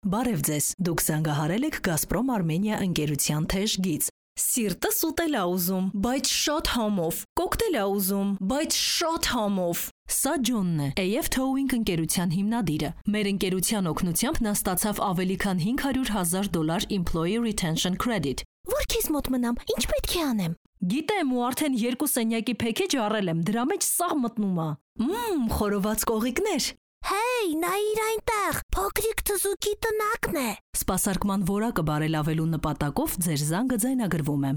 Բարև ձեզ, դուք զանգահարել եք Gazprom Armenia ընկերության թեժ գիծ։ Սիրտս ուտել ա ուզում, բայց շատ համով, կոկտեյլ ա ուզում, բայց շատ համով։ Սա Ջոնն է, AF Towing ընկերության հիմնադիրը։ Մեր ընկերության օգնությամբ նա ստացավ ավելի քան $500,000 Employee Retention Credit։ Որ քեզ մոտ մնամ, ինչ պետք է անեմ։ Գիտեմ ու արդեն 2 սենյակի փեքեջ առել եմ, դրա մեջ սաղ մտնում ա։ Խորոված կողիկներ։ Հեյ, նայիր այնտեղ, փոքրիկ թզուկի տնակն է։ Սպասարկման որակը բարելավելու նպատակով ձեր զանգը ձայնագրվում է։